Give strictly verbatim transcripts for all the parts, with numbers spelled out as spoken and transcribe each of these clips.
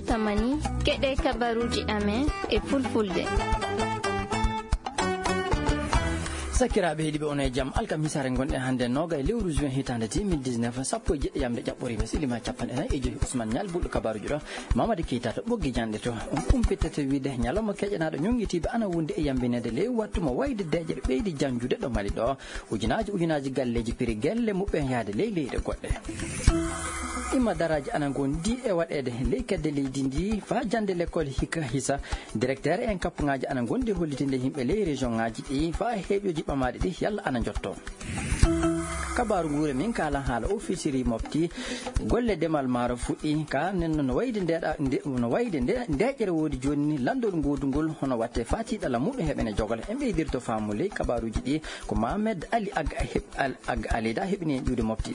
Tamani, keɗe kabaruuji amen e fulfulde. Sakiraaɓe heɗiiɓe, on e jam. Alkamisaare ngonɗen hannde, noogay lewru juin hitaande deux mille dix-neuf, sappo e jeɗɗi yamde ƴaɓɓoriima, silima capanɗe nayi e joyi. Ousmane Ñal bulɗo kabaruuji ɗo, Mamadi Keita to ɓoggi janɗe to. On kumpittata wiide ñalawma keƴanaaɗo ñonngitiiɓe ana wondi e yambineede ley wattu mo wayde deeƴere ɓeydi janjude ɗo Mali ɗo. Ujunaaji, ujunaaji galleeji piri gelle muɓɓen yahde ley leyɗe goɗɗe. Imma daraaji ana ngondi e waɗeede ley kedde leydi ndi faa jannde lekkol hikka hisa. Directeur en kappuŋaaji ana ngondi hollitinde yimɓe ley région ŋaaji ɗi faa heeƴooji ɓamaaɗi ɗi yalla ana njotto. Kabaaru nguure min kaalan haala ofisiri mofti golle demal maaro fuɗɗi ka nen no wayde ndeeɗa-, nde-, no wayde nde-, ndeeƴere woodi jooni ni lanndol ngoodungol hono watte faa tiiɗalla muɗum heɓene jogol. En ɓeydirto faamu ley kabaaruuji ɗi ko Mohamed Ali Ag Heb-, Al-, Ag Alida heɓini en ƴuwde mofti.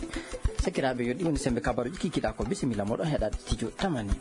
Sakiraaɓe, yo ɗi woni sembe kabaaruuji kikiɗaa ko. Bisimilla moɗon heɗaade Tijo Tamani.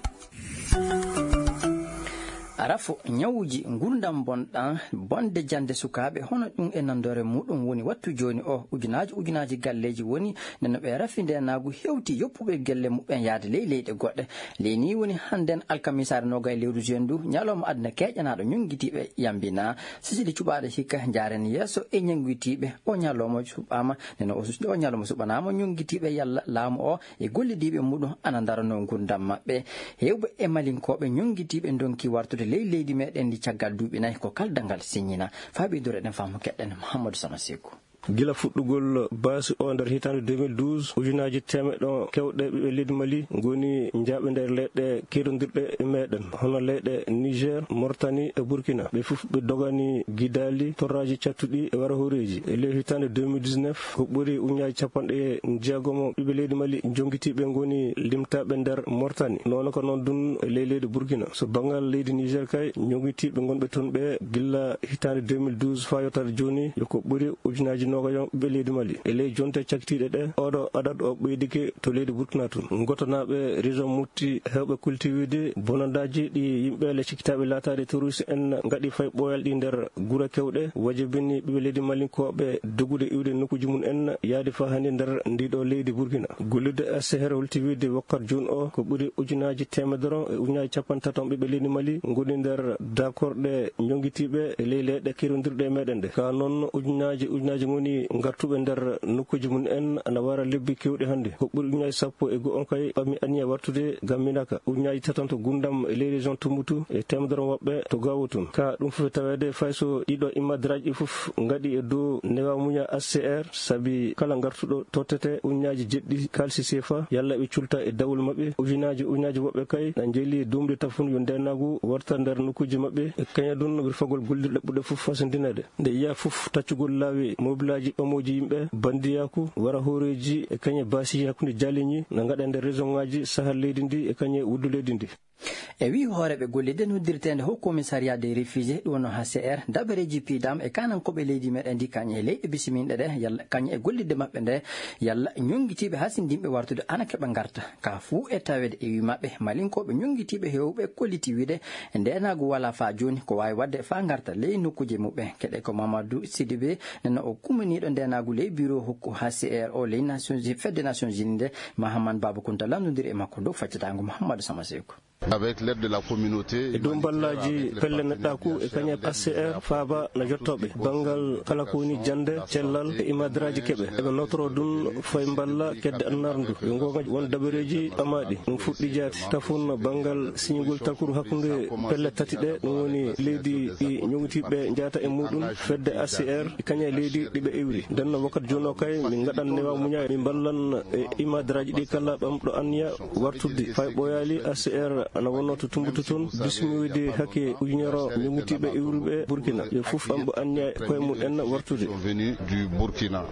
Arafo ñawuji ngurdam bonɗam, bonde jannde sukaaɓe, hono ɗum e nanndore muɗum woni wattu jooni o. Ujunaaji, ujunaaji galleeji woni nde no ɓe rafi ndeenaagu hewti yoppuɓe gelle muɓɓen yahde ley leyɗe goɗɗe. Ley nii woni hannden alkamisaare noogay lewru juin ndu, ñalawma aduna keeƴanaaɗo ñonngitiiɓe yambina. Sisili cuɓaaɗo hikka njaaren yeeso e ñonngitiiɓe. O ñalawma suɓaama, nde no o sus-, o ñalawma suɓanaama ñonngitiiɓe yalla laamu o e gollidiiɓe muɗum ana ndaranoo ngurdam maɓɓe. Heewɓe e Malinkooɓe ñonngitiiɓe ndonki wartude ley leydi meɗen ndi caggal duuɓi nayi ko kaldal ngal siññina. Faa ɓeydoro eɗen faamu keɗɗen Mouhamadou Sama Seku. Gila fuɗɗugol baasi o nder hitaande deux mille douze, ujunaaji teemeɗɗe kewɗe ɓiɓɓe leydi Mali ngoni njaaɓe nder leyɗe kerondirɗe e meɗen, hono leyɗe Niger, Mauritanie e Burkina. Ɓe fof ɓe dogani gidaali, torraaji cattuɗi e wara hooreeji. E ley hitaande deux mille dix-neuf, ko ɓuri ujunaaji capanɗe jeegom ɓiɓɓe leydi Mali jonngitiiɓe ngoni limtaaɓe nder Mauritanie. Noon ko noon dun e ley leydi Burkina. So banngal leydi Niger kay, jonngitiiɓe ngonɓe toon ɓe gilla hitaande deux mille douze faa yottaade jooni, yo ko ɓuri ujunaaji noogay ɓiɓɓe leydi Mali. E ley jonte cakkitiiɗe ɗe, oɗo adadu o ɓeydike to leydi Burkina tun. Ngotonaaɓe région Mopti heewɓe kultiwide bonandaaji ɗi yimɓe le cikkitaaɓe laataade terroriste en ngaɗi fay ɓooyal ɗi nder gure kewɗe, wajibini ɓiɓɓe leydi Malinkooɓe dogude iwde nokkuuji mum en yaade faa hannde nder ndi ɗo leydi Burkina. Gollirde A C R holti wiide wakkati jooni o ko ɓuri ujunaaji teemedere e ujunaaji capanɗe tati ɓiɓɓe leydi Mali ngoni nder daakorɗe jonngitiiɓe e ley leyɗe kerondirɗe e meɗen ɗe. Ka noon ujunaaji, ujunaaji ngoni ngartuɓe nder nokkuuji mum en ana wara lebbi kewɗi hannde. Ko ɓuri ujunaaji sappo e go'o on kay ɓami anniya wartude ngam Minaka. Ujunaaji tati on to Gundam e ley région Tumbutu e teemedere woɓɓe to Gawo tun. Ka ɗum fof e taweede fay so ɗiɗo immadraaji ɗi fof ngaɗi e dow newa muña A C R, sabi kala ngartuɗo tottete ujunaaji jeɗɗi kaalisi sefa, yalla ɓe culta e dawol maɓɓe. Ujunaaji, ujunaaji woɓɓe kay na njeeli duumde tafun yo ndeenaagu warta nder nokkuuji maɓɓe. E kaña ɗum wirfagol gollirɗe ɓurɗe fof fasandineede. Nde yiya fof taccugol laawi mobilaaji ɓamooji yimɓe, bandiyaaku, wara hooreeji e kañe baasi hakkunde jaaliñi na ngaɗa nder région ŋaaji sahal leydi ndi e kañe wuddu leydi ndi. E wii hooreeɓe gollirde noddirteende Haut Commissariat des Réfugiés, ɗum wonno H C R, dabareeji piidam e kaanankooɓe leydi meɗen ndi, kañe e leyɗe bisimilɗe ɗe, yalla kañe e gollirde maɓɓe nde, yalla ñonngitiiɓe hasindinɓe wartude ana keɓa ngarta. Ka fuu e taweede e wii maɓɓe, Malinkooɓe ñonngitiiɓe heewɓe kolliti wiide ndeenaagu walaa faa jooni, ko waawi waɗde faa ngarta ley nokkuuje muɓɓen. Keɗe ko Mamadou Sidibé, nana o kumaniiɗo ndeenaagu ley biro hokku H C R o ley Nations Unies, fedde Nations Unies nde, Mahaman Baba Kunta lanndondiri e makko dow faccitaango Mouhamadou Sama Seku. Avec l'aide de la communauté. E dow mballaaji pelle neɗɗaaku e kañe H C R faaba na jottooɓe banngal kala ko woni jannde, cellal e imadraaji keɓe. Eɓe notoroo ɗum fay mballa kedde annaar ndu. Yo ngoonga won dabareeji ɓamaaɗi. Ɗum fuɗɗi jaati. Tafun banngal siñugol takuru hakkunde pelle tati ɗe, ɗum woni leydi ɗi ñoŋtiiɓe njaata e muɗum, fedde H C R, e kañe leydi ɗi ɓe iwri. Ndenno wakkati jooni o kay, min ngaɗan newa muña, min mballan e imadraaji ɗi kala ɓamɗo anniya wartudde. Fay ɓooyaali, H C R ana wonno to Tumbutu toon, bisminoyde hakke ujunere ñoŋtiiɓe iwruɓe Burkina. Yo fof ɓamɗo anniya e koye mum en wartude. Sont venus du Burkina.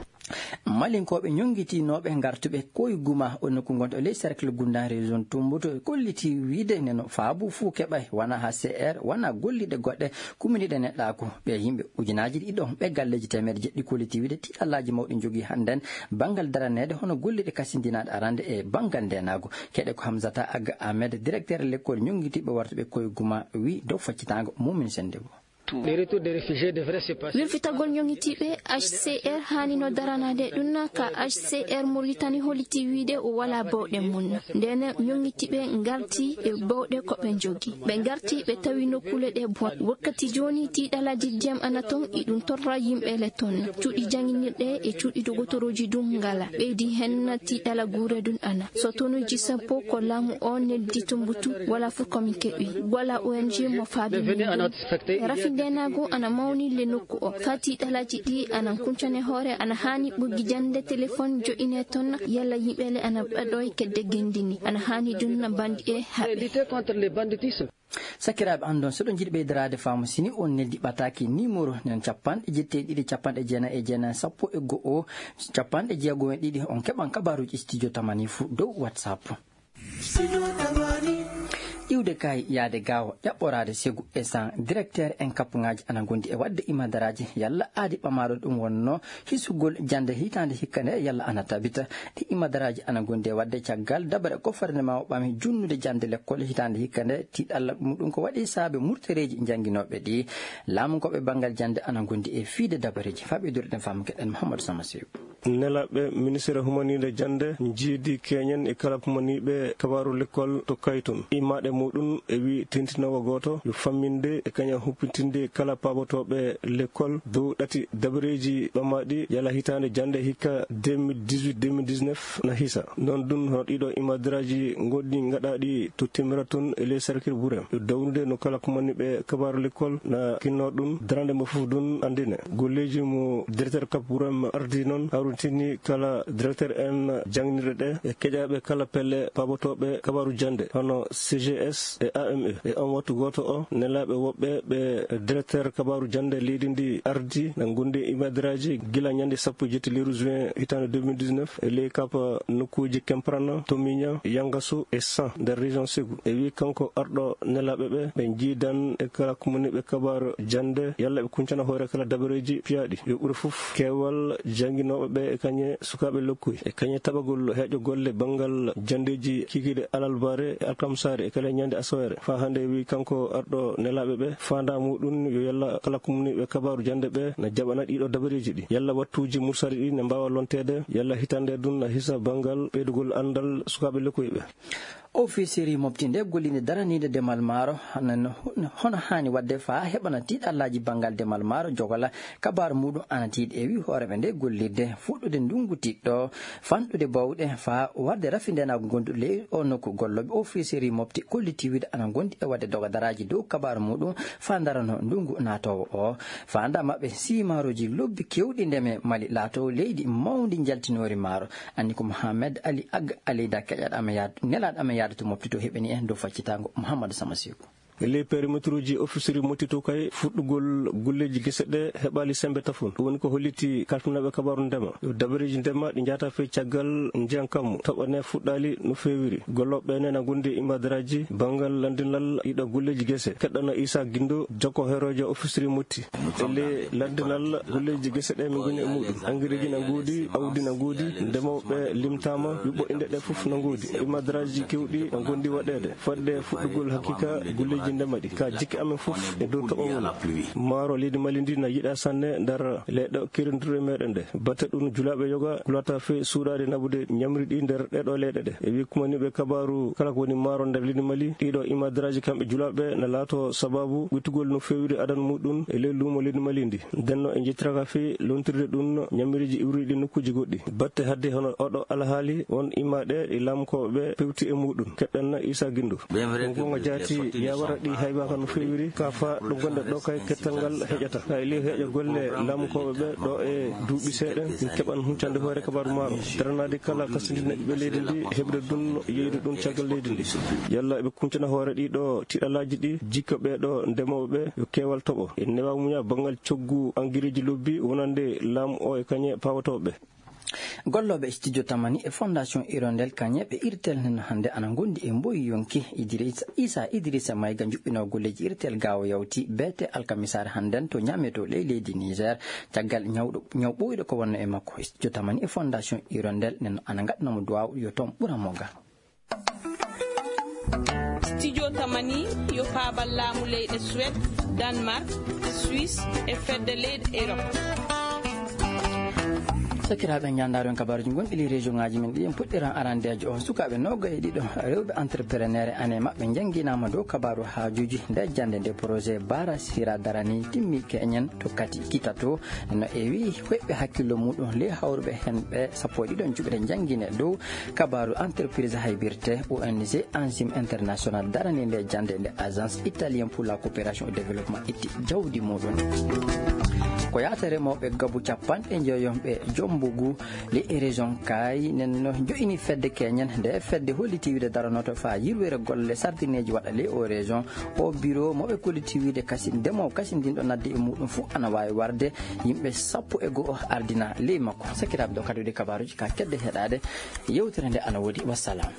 Malinkooɓe ñoŋgitinooɓe ngartuɓe koye Guma, o nokku ngonɗo ley cercle Gunda, région Tumbutu, kolliti wiide neno faabu fuu keɓay, wona H C R, wona golliɗe goɗɗe, kuminiɗe neɗɗaaku. Ɓe yimɓe ujunaaji ɗiɗo, ɓe galleeji teemeɗe jeɗɗi kolliti wiide tiiɗallaaji mawɗi njogii hannden banngal daraneede hono golliɗe kasindinaaɗe arande e banngal ndeenaagu. Keɗe ko Hamzata Aga Ahmed, directeur lekkol ñoŋgitiiɓe wartuɓe koye Guma, wi dow faccitaango Mumin Sennde Bo. Pour les retours des réfugiés devrait se passer. Wirfitagol ñoŋitiiɓe H C R haanino daranaade ɗum ka H C R Mauritanie holiti wiide o wala bawɗe mum. Ndeen ñoŋitiiɓe ngarti e bawɗe ko ɓe njogi. Ɓe ngarti ɓe tawi nokkuule ɗe bon. Wakkati jooni tiiɗalaaji ndiyam ana ton, iɗum torra yimɓe le ton. Cuuɗi jannginirɗe e cuuɗi dogotorooji ɗum ngala. Ɓeydi heen tiiɗala guure ɗum ana. So tonuuji sappo ko laamu o neldi Tumbutu, wala fof ko min keɓi. Wala O N G mo faabi min ɗum. Rafi ndeenaagu ana mawni le nokku o. Faa tiiɗalaaji ɗi ana kuncane hoore, ana haani ɓoggi jannde téléphone jo'ine ton, yalla yimɓe le ana ɓaɗo e kedde genndini. Ana haani ɗum banndi e haɓe. Lutter contre le banditisme. Sakiraaɓe, anndon, so ɗon njiɗi ɓeydaraade faamu, sini on neldi ɓataaki numéro nen capanɗe jeetati e ɗiɗi, capanɗe jeenayi e jeenayi, sappo e go'o, capanɗe jeego e ɗiɗi, on keɓan kabaaruuji studio tamani fuu dow WhatsApp. Iwde kay yaade gaawo, ƴaɓɓoraade segu e san directeur en kappuŋaaji ana ngondi e waɗde imadaraaji yalla aadi ɓamaaɗo ɗum wonno hisugol jannde hitaande hikka nde yalla ana tabita. Ɗi imadaraaji ana ngondi e waɗde caggal dabare gouvernement o ɓami junnude jannde lekkol hitaande hikka nde. Tiiɗalla muɗum ko waɗi saabe murtereeji jannginooɓe ɗi. Laamu ko ɓe banngal jannde ana ngondi e fiide dabareeji. Faa ɓeydude ɗen faamu keɗen Mouhamadou Sama Sew. Nelaaɓe ministere humaniinde jannde njiidi keñen e kala humaniiɓe kabaaru lekkol to kaytun. Immaaɗe muɗum e wi tentinoowo gooto yo famminde e kaña humpitinde kala paabotooɓe lekkol dow ɗati dabareeji ɓamaaɗi yala hitaande jannde hikka deux mille dix-huit deux mille dix-neuf na hisa. Noon ɗum hono ɗiɗo imadiraaji ngoɗɗi ngaɗaaɗi to Temiratun e ley Sarkir Burem. Yo dawnude no kala ko manni ɓe kabaaru lekkol na kinnoo ɗum darande mo fof ɗum anndine. Golleeji mo directeur Cap Burem ardi noon hawritini kala directeur en jannginirɗe ɗe e keƴaaɓe kala pelle paabotooɓe kabaaru jannde hono C G S e A M E. E on wattu gooto o, nelaaɓe woɓɓe ɓe directeur kabaaru jannde leydi ndi ardi na ngondi e imadiraaji gila ñande sappo e jetti lewru juin hitaande deux mille dix-neuf e ley kapa nokkuuji Kemprana, Tomiña, Yangasu e San nder région Ségou. E wi kanko arɗo nelaaɓe ɓe, ɓe njiidan e kala kumaniiɓe kabaaru jannde yalla ɓe kuncana hoore kala dabareeji piyaaɗi. Yo ɓuri fof keewal jannginooɓe ɓe e kañe sukaaɓe lokkuy e kañe taɓagol heeƴo golle banngal janndeeji kikiiɗe alalbaare e alkamsaare e kala ñande asaweere. Faa hannde wi kanko arɗo nelaaɓe ɓe, faandaa muɗum yo yalla kala kumniiɓe kabaaru jannde ɓe na jaɓana ɗiɗo dabareeji ɗi. Yalla wattuuji mursari ɗi ne mbaawa lonteede, yalla hitaande ɗum na hisa banngal ɓeydugol anndal sukaaɓe lokkuy ɓe. Ofisiri mofti nde gollinde daraniinde demal maaro, hono, hono haani waɗde faa heɓana tiiɗallaaji banngal demal maaro jogola kabaaru muɗum ana tiiɗi e wi hooreeɓe nde gollirde fuɗɗude ndungu tiɗɗo, fanɗude bawɗe faa warde rafi ndenaagu ngonduɗo ley o nokku. Gollooɓe ofisiri mofti kolliti wiide ana ngondi e waɗde dogadaraaji dow kabaaru muɗum faa darano ndungu naatoowo o. Faandaa maɓɓe siimaaruuji lobbi keewɗi ndeme Mali laatoo leydi mawndi njaltinoori maaro. Anni ko Mohamed Ali Ag Aleyda keƴaɗo amen yaadu, nelaaɗo amen yaadu to mofti to heɓani en dow faccitaango Mouhamadou Sama Seku. E ley perimetruuji ofisiri mofti to kay fuɗɗugol golleeji gese ɗe heɓaali semmbe tafon. Ɗum woni ko holliti kalfinaaɓe kabaaru ndema. Yo dabareeji ndema ɗi njahata fey caggal njiyan kammu toɓa ne fuɗɗaali no feewiri. Gollooɓe ɓe ne na ngondi e imadaraaji banngal lanndinal ɗiɗo golleeji gese. Keɗɗana Isa Gindo, jokko heeroojo ofisiri mofti. E ley lanndinal golleeji gese ɗe min ngoni e muɗum. Angireeji na ngoodi, awdi na ngoodi, ndemooɓe limtaama, yuɓɓo inɗe ɗe fof na ngoodi. Imadaraaji keewɗi na ngondi waɗeede. Fodde fuɗɗugol hakiika golleeji ndema ɗi. Ka jikke amen fof e dow toɓo woni. Maaro leydi Mali ndi na yiɗaa sanne nder leyɗe keerindirɗe meɗen ɗe. Batte ɗum julaaɓe yoga kulata fey suuɗaade naɓude ñamri ɗi nder ɗeɗo leyɗe ɗe. E wi kumaniiɓe kabaaru kala ko woni maaro nder leydi Mali, ɗiɗo imadaraaji kamɓe julaaɓe na laato sababu ɓittugol no feewiri adan muɗum e ley luumo leydi Mali ndi. Ndenno e njettiraka fey lontirde ɗum ñamiriiji iwriiɗi nokkuuji goɗɗi. Batte hadde hono oɗo alhaali on immaaɗe ɗi laamukooɓe ɓe pewti e muɗum. Keɗɗanna Isa Gindo. Ko goonga jaati yawara ɗi haybaaka no feewiri, ka fa ɗo gonɗe ɗo kay kettal ngal heƴata. Ka e ley heƴa golle laamukooɓe ɓe ɗo e duuɓi seeɗa, min keɓan huncande hoore kabaaru maaro. Daranaade kala kasindina ɓiɓɓe leydi ndi, heɓde ɗum, yeyde ɗum caggal leydi ndi. Yalla ɓe kuncana hoore ɗi ɗo tiɗalaaji ɗi, jikka ɓe ɗo ndemooɓe ɓe, yo keewal toɓo. En newa muña banngal coggu angireeji lobbi wonande laamu o e kañe pawotooɓe. Gollooɓe e studio Tamani e Fondation Hirondelle kañe ɓe irtel nen hannde ana ngondi e mboyi yonki. Idrissa, Issa Idrissa Maïga juɓɓinoo golleeji irtel gaawo yawti beete alkamisaare hannden to Niamey to ley leydi Niger. Caggal ñawɗo, ñaw ɓooyɗo ko wonno e makko. Studio Tamani e Fondation Hirondelle nen ana ngaɗnoo mo duwaaw yo toon ɓura mo ga. Studio Tamani yo paabal laamu leyɗe Suède, Danemark, Suisse e fedde leyɗe Europe. Sakiraaɓe, ñaandaaro en kabaaruuji gonɗi ley région ŋaaji men ɗi, en puɗɗiran arandeejo o. Sukaaɓe noogay e ɗiɗo rewɓe entrepreneur e année maɓɓe njannginaama dow kabaaru haajuuji nde jannde nde projet Bara Sira darani timmi keñen to kati kita to. No ewi hoyɓe hakkillo muɗum ley hawruɓe hen ɓe sappo e ɗiɗo juɓɓe njanngine dow kabaaru entreprise haybirte O N G Enzyme International darani nde jannde nde agence italien pour la coopération et développement itti jawdi muɗum. Ko yaata remooɓe gabu capanɗe njoyon ɓe Jombugu le région kay nen no jo'ini fedde keñen nde fedde holliti wiide daranoto faa yirwere golle sardineeji waɗa le o région. O biro mo ɓe kolliti wiide kasi ndemo kasi ndin ɗo nadde e muɗum fof ana waawi warde yimɓe sappo e go'o ardina ley makko. Sakiraaɓe, ɗo kadi woni kabaaruuji ka kedde heɗaade yewtere nde ana woodi. Wassalam.